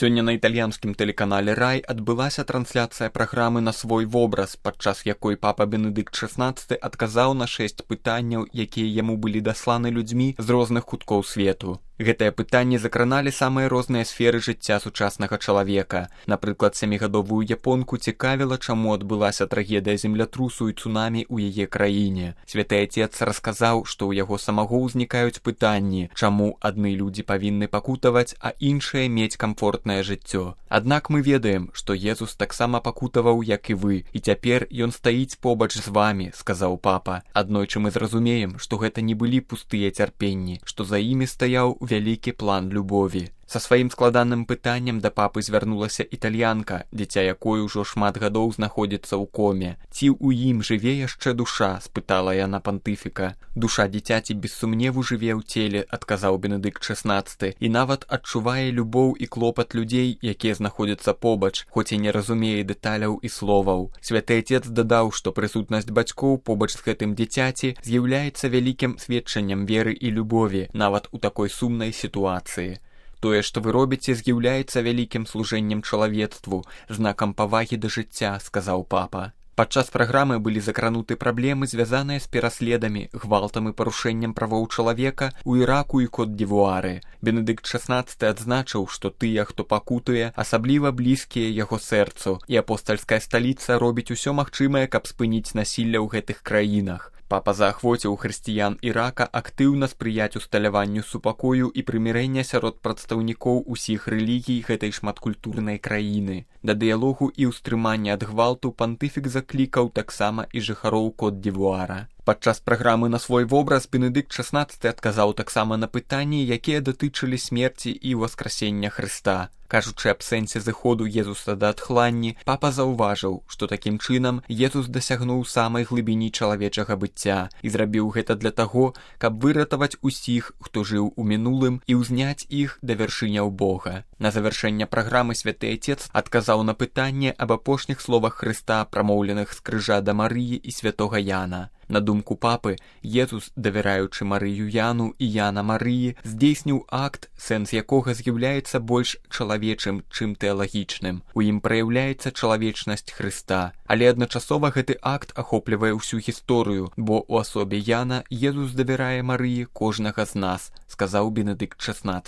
Сёння на італьянскім тэлеканале «Рай» адбылася трансляцыя праграмы «На свой вобраз», падчас якой папа Бенедыкт XVI адказаў на 6 пытанняў, якія яму былі дасланы людзьмі з розных куткоў свету. Гэтыя пытанні закраналі самыя розныя сферы жыцця сучаснага чалавека. Напрыклад, 7гадовую японку цікавіла, чаму адбылася трагедыя землятрусу і цунамі ў яе краіне. Святы Отец расказаў, што ў яго самого ўзнікаюць пытанні, чаму адны людзі павінны пакутаваць, а іншыя мець камфортнае жыццё. Аднак мы ведаем, што Езус таксама пакутаваў, як і вы, і цяпер ён стаіць побач з вамі, сказаў папа. Аднойчы мы зразумеем, што гэта не былі пустыя цярпенні, што за імі стаяў вялікі план любові. Са сваім складаным пытаннем да папы звярнулася італьянка, дзіця якой ужо шмат гадоў знаходзіцца ў коме. Ці ў ім жыве яшчэ душа, спытала яна пантыфіка. Душа дзіцяці без сумневу жыве ў целе, адказаў Бенедыкт XVI, і нават адчувае любоў і клопат людзей, якія знаходзяцца побач, хоць і не разумее дэталяў і словаў. Святы Отец дадаў, што прысутнасць бацькоў побач з гэтым дзіцяці з'яўляецца вялікім сведчаннем веры і любові, нават у такой сумнай сітуацыі. Тое, што вы робіце, з'яўляецца вялікім служэннем чалавецтву, знакам павагі да жыцця, сказаў папа. Падчас праграмы былі закрануты праблемы, звязаныя з пераследамі, гвалтам і парушэннем правоў чалавека ў Іраку і Кот-д'Івуары. Бенедыкт XVI адзначыў, што тыя, хто пакутуе, асабліва блізкія яго сэрцу, і апостальская сталіца робіць усё магчымае, каб спыніць насілля ў гэтых краінах. Папа заахвоціў хрысціян Ірака актыўна спрыяць усталяванню супакою і прымірэння сярод прадстаўнікоў усіх рэлігій гэтай шматкультурнай краіны. Да дыялогу і ўстрымання ад гвалту пантыфік заклікаў таксама і жыхароў Кот-д'Івуара. Падчас праграмы «На свой вобраз» Бенедыкт XVI адказаў таксама на пытанні, якія датычылі смерці і ўваскрасення Хрыста. Кажучы аб сэнсе зыходу Езуса да адхланні, папа заўважыў, што такім чынам Езус дасягнуў самай глыбіні чалавечага быцця і зрабіў гэта для таго, каб выратаваць усіх, хто жыў у мінулым, і ўзняць іх да вяршыняў Бога. На завяршэнне праграмы Святы Отец адказаў на пытанне аб апошніх словах Хрыста, прамоўленых з крыжа да Марыі і святога Яна. На думку папы, Езус, давяраючы Марыю Яну і Яна Марыі, здзейсніў акт, сэнс якога з'яўляецца больш чалавечым, чым тэалагічным. У ім праяўляецца чалавечнасць Хрыста. Але адначасова гэты акт ахоплівае ўсю гісторыю, бо ў асобе Яна Езус давярае Марыі кожнага з нас, сказаў Бенедыкт XVI.